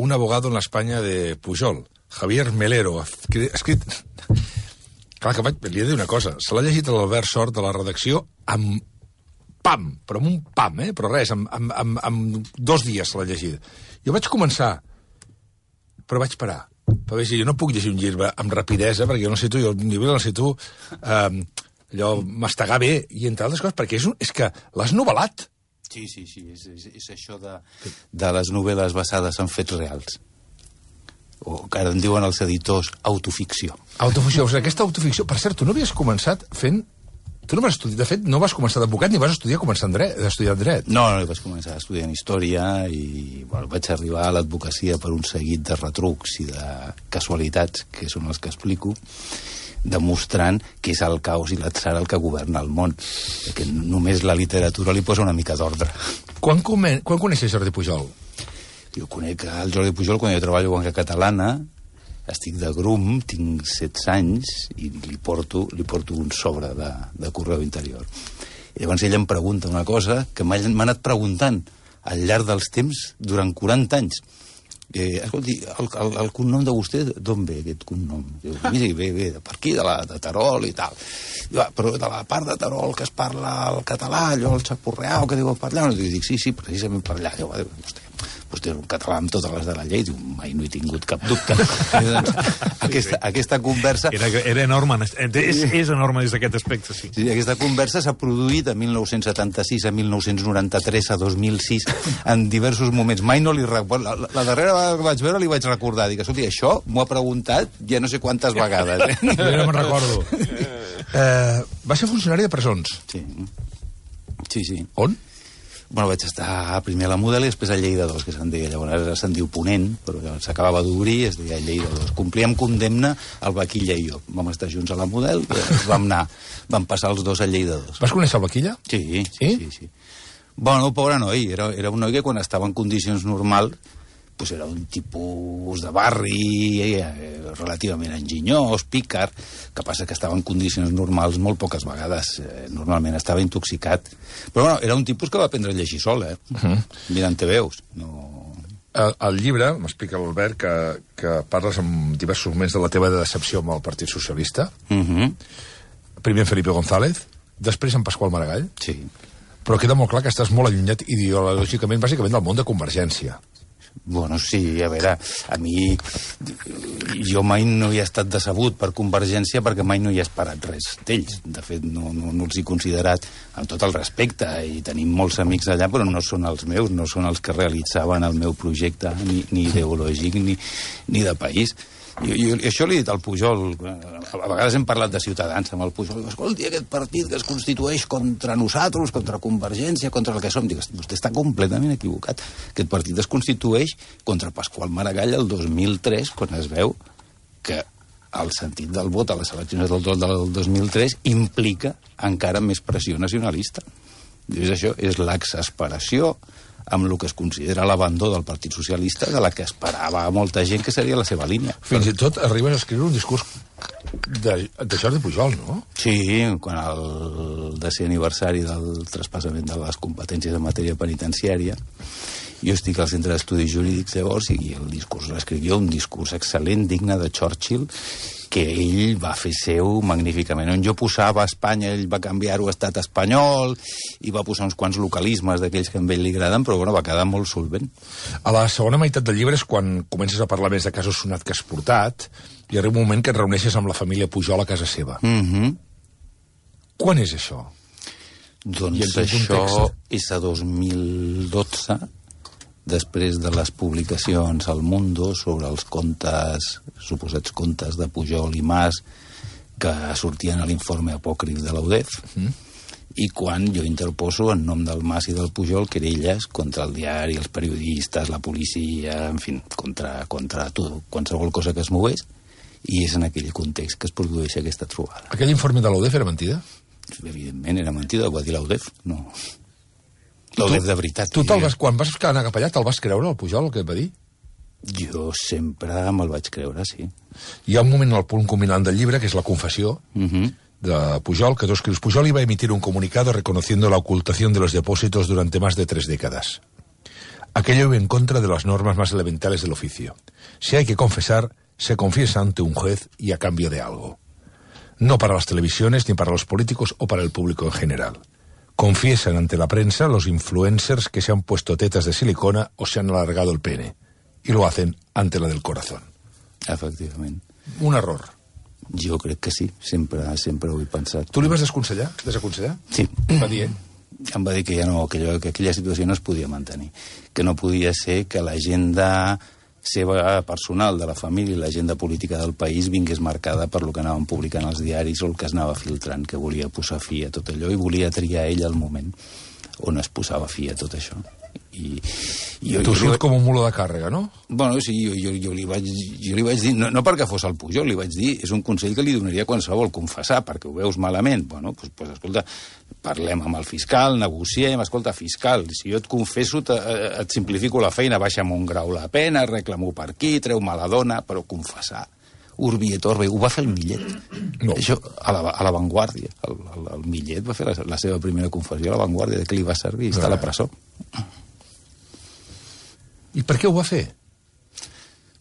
un abogado en la España de Pujol, Javier Melero, escrit... Clar, que li he de dir una cosa. Se l'ha llegit l'Albert Sort de la redacció amb pam, però amb un pam, però res, amb 2 dies se l'ha llegit. Jo vaig començar, però vaig parar. Perquè jo no puc llegir un llibre amb rapidesa, perquè jo necessito, jo el llibre necessito allò, mastegar bé, i entre altres coses, perquè és que l'has novel·lat. Sí, és això de les novel·les basades en fets reals. O que ara en diuen els editors autoficció. Autoficció, o sigui, aquesta autoficció... Per cert, tu no havies començat fent... Tu no vas estudiar, de fet, no vas començar d'advocat ni vas estudiar dret. No, vaig començar estudiant història i vaig arribar a l'advocacia per un seguit de retrucs i de casualitats, que són els que explico, demostrant que és el caos i l'atzar el que governa el món, que només la literatura li posa una mica d'ordre. Quan coneixes Jordi Pujol? Jo conec el Jordi Pujol quan jo treballo a Banca Catalana, estic de grum, tinc 16 anys i li porto un sobre de correu interior. I llavors ell em pregunta una cosa que m'ha anat preguntant al llarg dels temps durant 40 anys. Escolti, el cognom de vostè, d'on ve aquest cognom? Diu, miri, ve per aquí, de Terol i tal. Diu, però de la part de Terol que es parla el català, allò, el xapurreau, que diu per allà. I dic, sí, precisament per allà. Diu, vostè és un català amb totes les de la llei. Diu, mai no he tingut cap dubte. Aquesta conversa... Era enorme, és enorme des d'aquest aspecte, sí. Sí, aquesta conversa s'ha produït a 1976, a 1993, a 2006, en diversos moments. Mai no li recordo. La darrera vegada que vaig veure li vaig recordar. Dic, escolti, això m'ho ha preguntat ja no sé quantes vegades. Jo no me'n recordo. Va ser funcionari de presons. Sí. On? Bueno, vaig estar primer a la Model i després a Lleida 2, que se'n deia. Llavors ara se'n diu Ponent, però s'acabava d'obrir, es deia Lleida 2. Complíem condemna el Vaquilla i jo. Vam estar junts a la Model i vam passar els dos a Lleida 2. Vas conèixer el Vaquilla? Sí. Bueno, pobre noi, era un noi que quan estava en condicions normals pues era un tipus de barri relativament enginyós, pícar, que passa que estava en condicions normals molt poques vegades. Normalment estava intoxicat. Però bueno, era un tipus que va aprendre a llegir sol, mirant TVs. No... Al llibre, m'explica l'Albert, que parles en diversos moments de la teva decepció amb el Partit Socialista. Primer en Felipe González, després en Pasqual Maragall. Sí. Però queda molt clar que estàs molt allunyat ideològicament, bàsicament, del món de Convergència. Bueno, sí, a veure, a mi... Jo mai no hi he estat decebut per Convergència perquè mai no hi he esperat res d'ells. De fet, no els he considerat amb tot el respecte i tenim molts amics allà, però no són els meus, no són els que realitzaven el meu projecte ni ideològic ni de país. Jo això li he dit al Pujol, a vegades hem parlat de Ciutadans amb el Pujol, escolti, aquest partit que es constitueix contra nosaltres, contra Convergència, contra el que som, dic, vostè està completament equivocat. Aquest partit es constitueix contra Pasqual Maragall el 2003, quan es veu que el sentit del vot a les eleccions del 2003 implica encara més pressió nacionalista. És això, és l'exasperació amb el que es considera l'abandó del Partit Socialista, de la que esperava molta gent que seria la seva línia. Fins i tot arribes a escriure un discurs de Jordi Pujol, no? Sí, quan el 10è aniversari del traspassament de les competències en matèria penitenciària, jo estic al Centre d'Estudis Jurídics llavors i el discurs l'escrivió, un discurs excel·lent, digne de Churchill, que ell va fer seu magníficament. On jo posava Espanya, ell va canviar-ho a estat espanyol i va posar uns quants localismes d'aquells que a ell li agraden, però bueno, va quedar molt solvent. A la segona meitat del llibre és quan comences a parlar més de casos sonat que has portat i arriba un moment que et reuneixes amb la família Pujol a casa seva. Quan és això? Doncs això és a 2012, després de les publicacions al Mundo sobre els contes, suposats contes de Pujol i Mas que sortien a l'informe apòcrif de l'UDEF, i quan jo interposo en nom del Mas i del Pujol querelles contra el diari, els periodistes, la policia, en fi, contra tot, qualsevol cosa que es mogués, i és en aquell context que es produeix aquesta trobada. Aquell informe de l'UDEF era mentida? Evidentment era mentida, ho va dir l'UDEF, no... L'UDEF de veritat. Tu quan vas anar cap allà, te'l vas creure, el Pujol, el que et va dir? Jo sempre me'l vaig creure, sí. Hi ha un moment al punt culminant del llibre, que és la confessió de Pujol, que tu escrius: Pujol iba a emitir un comunicado reconociendo la ocultación de los depósitos durante más de 3 décadas. Aquello iba en contra de las normas más elementales del oficio. Si hay que confesar, se confiesa ante un juez y a cambio de algo. No para las televisiones, ni para los políticos o para el público en general. Confiesan ante la prensa los influencers que se han puesto tetas de silicona o se han alargado el pene. Y lo hacen ante la del corazón. Efectivament. Un error. Jo crec que sí, sempre ho he pensat. Tu li vas desaconsellar? Sí. Va dir, Em va dir que ja no, que aquella situació no es podia mantenir, que no podia ser que l'agenda seva personal de la família i l'agenda política del país vingués marcada per lo que anaven publicant els diaris o el que es anava filtrant, que volia posar fi a tot allò i volia triar ell el moment on es posava fi a tot això. Tu surt com un mulo de càrrega, no? Bueno, sí, jo li vaig dir, no perquè fos el Pujol, li vaig dir, és un consell que li donaria qualsevol, confessar, perquè ho veus malament. Bueno, doncs escolta, parlem amb el fiscal, negociem, escolta, fiscal, si jo et confesso, et simplifico la feina, baixa'm un grau la pena, reclamo per aquí, treu-me la dona, però confessar, urbi et orbi, ho va fer el Millet. No. Això, a la Vanguardia, el Millet va fer la seva primera confessió a la Vanguardia, de què li va servir, està a la presó. I per què ho va fer?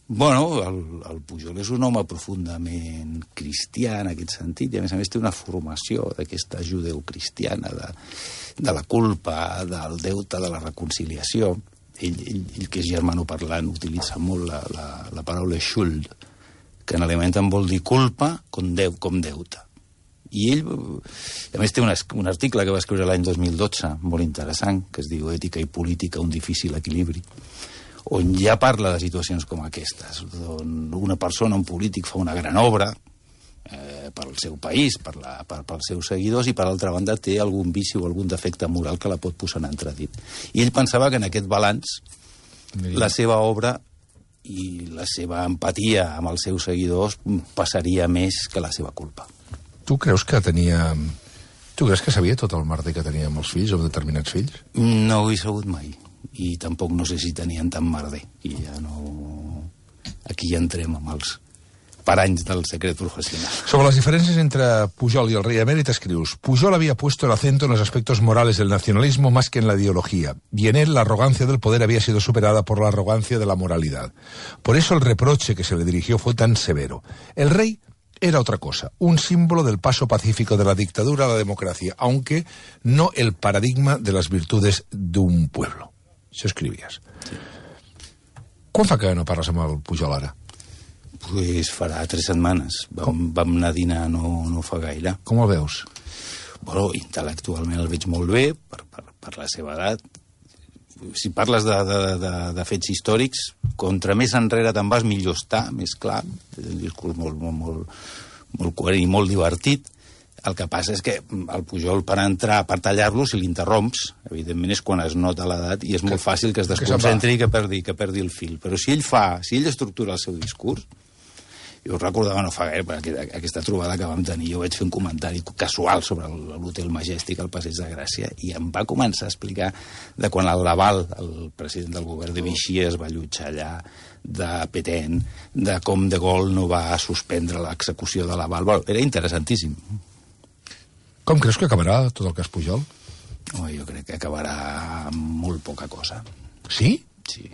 Bueno, el Pujol és un home profundament cristià en aquest sentit, i a més té una formació d'aquesta judeocristiana, de la culpa, del deute, de la reconciliació. Ell que és germanoparlant, utilitza molt la paraula schuld, que en alemany vol dir culpa com deute. I ell, a més, té un article que va escriure l'any 2012, molt interessant, que es diu Ètica i política, un difícil equilibri, on ja parla de situacions com aquestes, on una persona, un polític, fa una gran obra pel seu país, pels seus seguidors, i per altra banda té algun vici o algun defecte moral que la pot posar en entredit. I ell pensava que en aquest balanç la seva obra i la seva empatia amb els seus seguidors passaria més que la seva culpa. Tu creus que sabia tot el merder que tenia amb els fills o determinats fills? No ho he sabut mai. I tampoc no sé si tenien tant merder. I ja no... Aquí ja entrem amb els paranys del secret profesional. Sobre las diferencias entre Pujol y el rey emérito escrius: Pujol había puesto el acento en los aspectos morales del nacionalismo más que en la ideología, y en él la arrogancia del poder había sido superada por la arrogancia de la moralidad. Por eso el reproche que se le dirigió fue tan severo. El rey era otra cosa, un símbolo del paso pacífico de la dictadura a la democracia, aunque no el paradigma de las virtudes d'un pueblo. Això escrivies. Sí. Quan fa que no parles amb el Pujol ara? Pues farà 3 setmanes. Vam anar a dinar no fa gaire. Com el veus? Bueno, intel·lectualment el veig molt bé, per la seva edat. Si parles de fets històrics, contra més enrere te'n vas, millor està, més clar. És un discurs molt coherent i molt divertit. El que passa és que el Pujol, per tallar-lo, si l'interromps, evidentment és quan es nota l'edat i és molt fàcil que es desconcentri i que perdi el fil. Però si ell estructura el seu discurs, jo recordava no fa gaire, aquesta trobada que vam tenir, jo vaig fer un comentari casual sobre l'Hotel Majestic al Passeig de Gràcia i em va començar a explicar de quan el Laval, el president del govern de Vichy, es va allotjar allà, de Pétain, de com de Gaulle no va suspendre l'execució de Laval. Bueno, era interessantíssim. Com creus que acabarà tot el cas Pujol? Jo crec que acabarà amb molt poca cosa. Sí? Sí.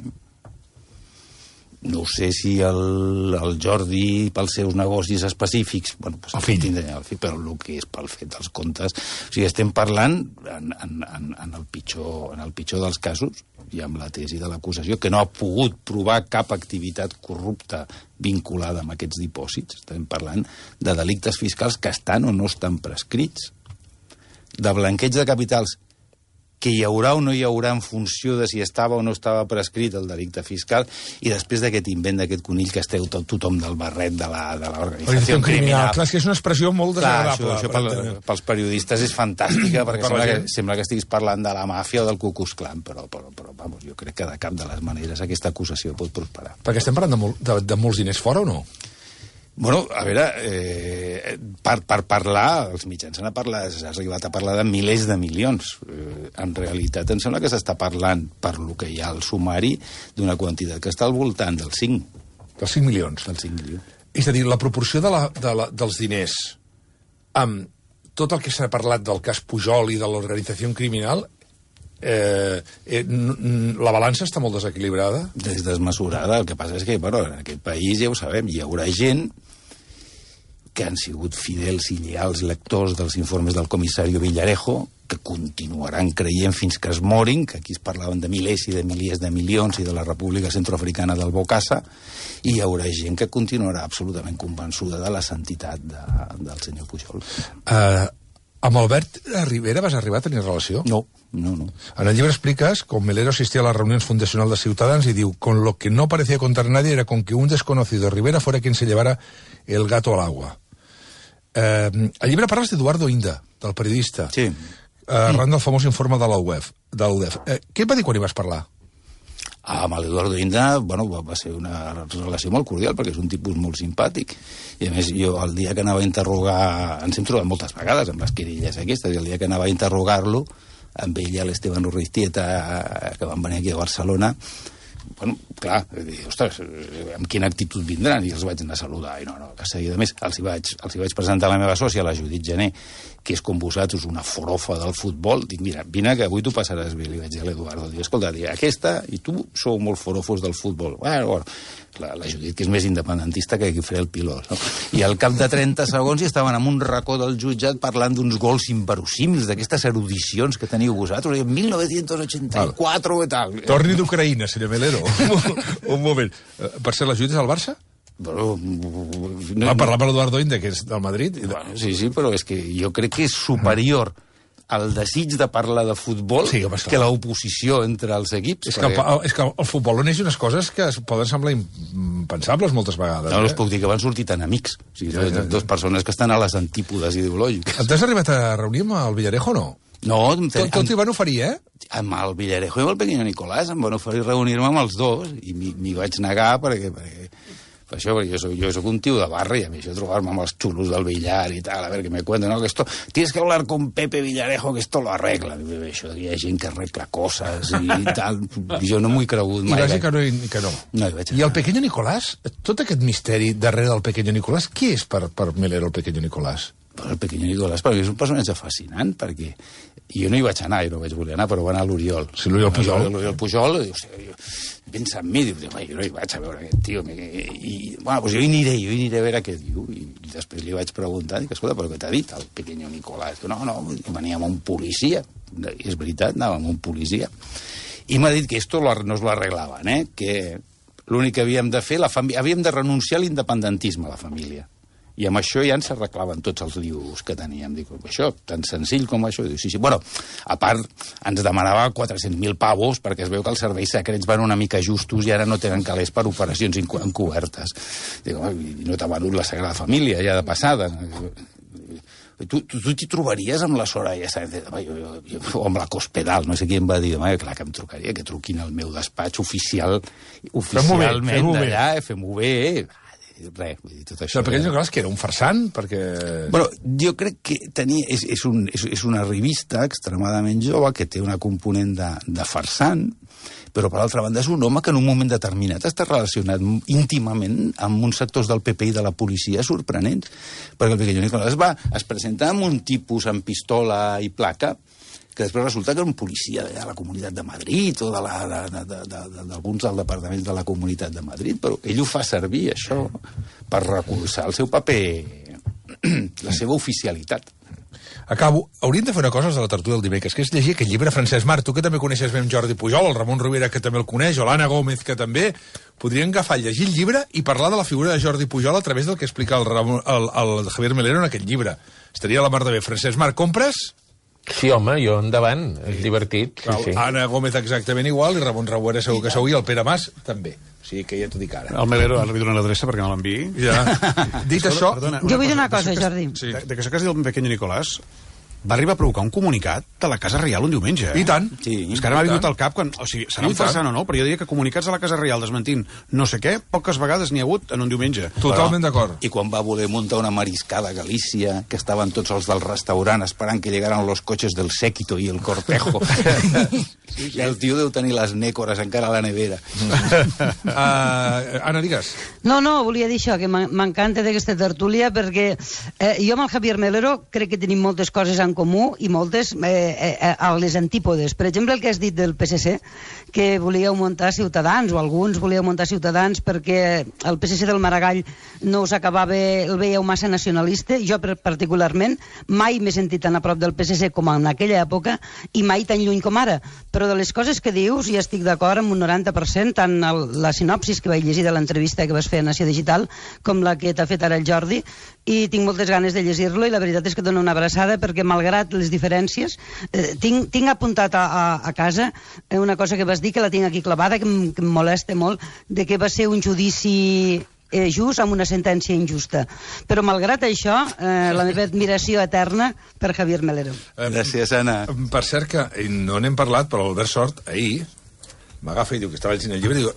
No sé si el Jordi, pels seus negocis específics... Bueno, pues el fill. Però el que és pel fet dels comptes... O sigui, estem parlant en el pitjor dels casos, i amb la tesi de l'acusació, que no ha pogut provar cap activitat corrupta vinculada amb aquests dipòsits. Estem parlant de delictes fiscals que estan o no estan prescrits, de blanqueig de capitals que hi haurà o no hi haurà en funció de si estava o no estava prescrit el delicte fiscal, i després d'aquest invent d'aquest conill que esteu tothom del barret de l'organització criminal. Clar, és que és una expressió molt desagradable. Això pels periodistes és fantàstica, perquè sembla que estiguis parlant de la màfia o del Ku Klux Klan, però vamos, jo crec que de cap de les maneres aquesta acusació pot prosperar. Perquè estem parlant de molts diners fora o no? Bueno, a veure, per parlar, els mitjans s'ha arribat a parlar de milers de milions. En realitat, em sembla que s'està parlant, per lo que hi ha al sumari, d'una quantitat que està al voltant dels 5. Dels 5 milions? Dels 5 milions. És a dir, la proporció dels diners amb tot el que s'ha parlat del cas Pujol i de l'organització criminal la balança està molt desequilibrada? És desmesurada. El que passa és que, bueno, en aquest país, ja ho sabem, hi haurà gent que han sigut fidels i lleials lectors dels informes del comissari Villarejo, que continuaran creient fins que es morin, que aquí es parlaven de milers i de miliers de milions i de la República Centroafricana del Bokassa, i hi haurà gent que continuarà absolutament convençuda de la santitat del senyor Pujol. Amb Albert Rivera vas arribar a tenir relació? No. En el llibre expliques com Melero asistía a las reuniones fundacional de Ciutadans y diu, con lo que no parecía contar nadie era con que un desconocido Rivera fuera quien se llevara el gato al agua. Al llibre parles d'Eduardo Inda, del periodista, sí. Arran del famós informe de l'UDEF. Què et va dir quan hi vas parlar? Amb l'Eduardo Inda, bueno, va ser una relació molt cordial, perquè és un tipus molt simpàtic. I a més, jo el dia que anava a interrogar... Ens hem trobat moltes vegades amb les querelles aquestes, i el dia que anava a interrogar-lo, amb ell i l'Esteban Urriztieta, que van venir aquí a Barcelona, bueno, clar, ostres, amb quina actitud vindran? I els vaig anar a saludar, i no, que seguida. A més, els hi vaig presentar la meva sòcia, la Judit Gené, que és com vosaltres, una forofa del futbol. Dic, mira, vine que avui tu passaràs bé, li vaig dir a l'Eduardo. Dic, escolta, aquesta i tu sou molt forofos del futbol. Bueno, la Judit, que és més independentista que faré el pilot, no? I al cap de 30 segons hi estaven en un racó del jutjat parlant d'uns gols inverosímils, d'aquestes erudicions que teniu vosaltres, en 1984 i tal. Torni d'Ucraïna, senyor Melero. Un moment. Per ser la Judit és al Barça? Però, va parlar amb l'Eduardo Inda, que és del Madrid. Bueno, sí, però és que jo crec que és superior el desig de parlar de futbol que l'oposició entre els equips. És que el futbol on és unes coses que poden semblar impensables moltes vegades. No us puc dir que van sortir tan amics. O sigui, dues persones que estan a les antípodes ideològiques. T'has arribat a reunir amb el Villarejo o no? No. Tot hi van oferir, eh? Amb el Villarejo i amb el Pequeño Nicolás em van oferir reunir-me amb els dos i m'hi vaig negar perquè això, perquè jo soc un tio de barra i a mi això trobar-me amb els xulos del billar i tal, a veure què me cuenten, no, que esto, tienes que hablar con Pepe Villarejo que esto lo arregla. Això, hi ha gent que arregla coses i tal, jo no m'ho he cregut mai. I vas dir que no. I el Pequeño Nicolás, tot aquest misteri darrere del Pequeño Nicolás, qui és per Melero el Pequeño Nicolás? El Pequeño Nicolás, perquè és un personatge fascinant, perquè jo no hi vaig anar, i no vaig voler anar, però va anar l'Oriol. Sí, l'Oriol Pujol. L'Oriol Pujol, pensa en mi, diu, jo no hi vaig a veure aquest tio. I, bueno, doncs jo hi aniré a veure què diu. I després li vaig preguntar, dic, escolta, però què t'ha dit el Pequeño Nicolás? No, venia amb un policia. I és veritat, anava amb un policia. I m'ha dit que esto no es lo arreglaven, que l'únic que havíem de fer, havíem de renunciar a l'independentisme, la família. I amb això ja ens arreglaven tots els lius que teníem. Dic, això, tan senzill com això. Dic, sí. Bueno, a part, ens demanava 400.000 pavos perquè es veu que els serveis secrets van una mica justos i ara no tenen calés per operacions encobertes. Dic, no t'ha venut la Sagrada Família, ja de passada. Tu t'hi trobaries amb la Soraya Sáenz o amb la Cospedal, no sé qui em va dir, clar que em trucaria, que truquin al meu despatx oficialment d'allà, fem-ho bé, res, vull dir, tot això. El Pequeño Nicolás, que era un farsant, perquè... Bueno, jo crec que és una revista extremadament jove que té una component de farsant, però per altra banda és un home que en un moment determinat està relacionat íntimament amb uns sectors del PP i de la policia sorprenents, perquè el Pequeño Nicolás es presenta amb un tipus amb pistola i placa que després resulta que era un policia de la Comunitat de Madrid o d'alguns dels departaments de la Comunitat de Madrid, però ell ho fa servir, això, per recolzar el seu paper, la seva oficialitat. Acabo. Hauríem de fer una cosa de la tertúlia del dimecres, que és llegir aquest llibre. Francesc Marc, tu que també coneixes bé Jordi Pujol, el Ramon Rovira, que també el coneix, o l'Anna Gómez, que també, podrien agafar, llegir el llibre i parlar de la figura de Jordi Pujol a través del que explica el Javier Melero en aquest llibre. Estaria a la mar de bé. Francesc Marc, compres? Sí, home, jo endavant, és divertit. Sí. Anna Gómez exactament igual, i Ramon Rouera segur que segur, i el Pere Mas també. O sigui que ja t'ho dic ara. El Melero, ara li dono l'adreça perquè no l'enviï. Ja. Dit això... Perdona, jo vull dir una cosa, Jordi. Sí. De que això que has dit el Pequeño Nicolás va arribar a provocar un comunicat de la Casa Reial un diumenge. I tant. Sí, és que ara m'ha vingut al cap, o sigui, serà un farsant o no, però jo diria que comunicats de la Casa Reial desmentint no sé què, poques vegades n'hi ha hagut en un diumenge. Totalment d'acord. I quan va voler muntar una mariscada a Galícia, que estaven tots els del restaurant esperant que llegaran los coches del séquito i el cortejo. I el tio deu tenir les nècores encara a la nevera. Anna, digues. No, volia dir això, que m'encanta d'aquesta tertúlia, perquè jo amb el Javier Melero crec que tenim moltes coses en comú i moltes a les antípodes. Per exemple, el que has dit del PSC, que volíeu muntar Ciutadans, o alguns volíeu muntar Ciutadans perquè el PSC del Maragall no us acabava, el veieu massa nacionalista. Jo, particularment, mai m'he sentit tan a prop del PSC com en aquella època i mai tan lluny com ara. Però de les coses que dius, ja estic d'acord amb un 90%, tant la sinopsis que vaig llegir de l'entrevista que vas fer a Nació Digital com la que t'ha fet ara el Jordi, i tinc moltes ganes de llegir-lo, i la veritat és que dono una abraçada perquè, malgrat les diferències, tinc apuntat a casa una cosa que vas dir, que la tinc aquí clavada, que em molesta molt, de que va ser un judici just amb una sentència injusta. Però, malgrat això, la meva admiració eterna per Javier Melero. Gràcies, Anna. Per cert, que no n'hem parlat, però l'Albert Sort, ahir, m'agafa i diu que estava llegint el llibre, i diu,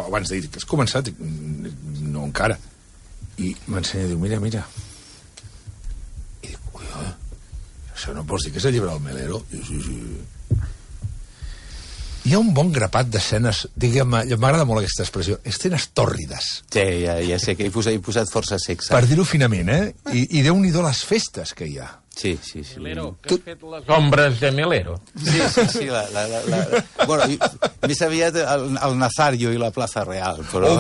abans de dir que has començat, dic, no encara. I m'ensenya, diu, mira. I dic, collons, això no pots dir que és el llibre del Melero? I diu, sí. Hi ha un bon grapat d'escenes, diguem-me, m'agrada molt aquesta expressió, escenes tòrrides. Sí, ja sé que he posat força sexe. Per dir-ho finament, I Déu-n'hi-do les festes que hi ha. Sí. Melero, que has fet les ombres de Melero? Sí, bueno, més aviat el Nazario i la Plaza Real, però...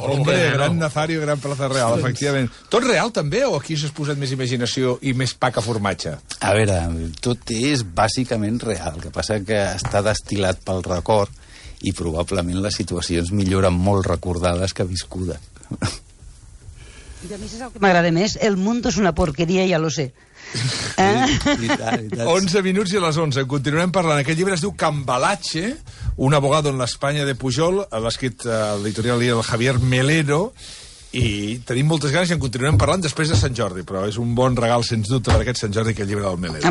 Hombre, gran Nazario i gran Plaza Real, efectivament. Tot real, també, o aquí s'has posat més imaginació i més pa que formatge? A veure, tot és bàsicament real, el que passa que està destil·lat pel record i probablement les situacions milloren molt recordades que viscudes. I a mi és el que m'agrada més, el mundo és una porqueria, ja lo sé. I tant. 11 minuts i a les 11. Continuem parlant. Aquest llibre es diu Cambalache, un abogado en l'Espanya de Pujol, l'ha escrit l'editorial del Javier Melero, i tenim moltes ganes i en continuem parlant després de Sant Jordi, però és un bon regal, sens dubte, per aquest Sant Jordi, aquest llibre del Melero.